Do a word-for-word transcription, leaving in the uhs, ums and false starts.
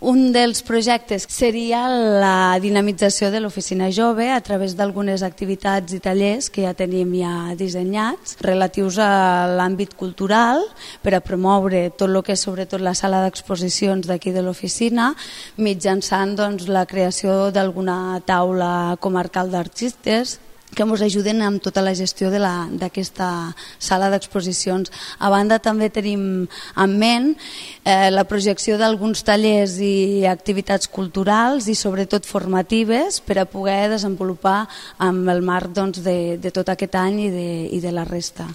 Un dels projectes seria la dinamització de l'oficina jove a través d'algunes activitats i tallers que ja tenim ja dissenyats relatius a l'àmbit cultural per a promoure tot el que és sobretot la sala d'exposicions d'aquí de l'oficina mitjançant doncs, la creació d'alguna taula comarcal d'artistes que ens ajuden amb tota la gestió d'aquesta sala d'exposicions. A banda també tenim en ment eh, la projecció d'alguns tallers i activitats culturals i sobretot formatives per a poder desenvolupar amb el marc doncs, de, de tot aquest any i de, i de la resta.